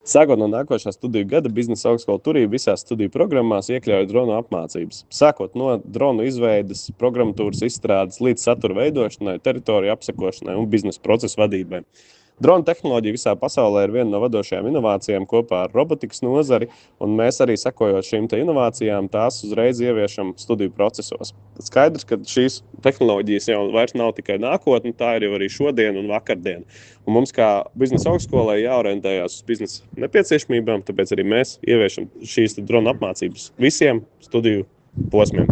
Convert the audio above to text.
Sākot no nākošā studiju gada, Biznesa augstskola Turība visās studiju programmās iekļauj dronu apmācības. Sākot no dronu izveides, programmatūras izstrādes līdz satura veidošanai, teritoriju apsekošanai un biznesa procesu vadībai. Drona tehnoloģija visā pasaulē ir viena no vadošajām inovācijām kopā ar robotikas nozari, un mēs arī sekojot šīm inovācijām, tās uzreiz ieviešam studiju procesos. Skaidrs, ka šīs tehnoloģijas jau vairs nav tikai nākotne, tā ir jau arī šodien un vakardien. Un mums kā biznesa augstskolai jāorientējās uz biznesa nepieciešamībām, tāpēc arī mēs ieviešam šīs drona apmācības visiem studiju posmiem.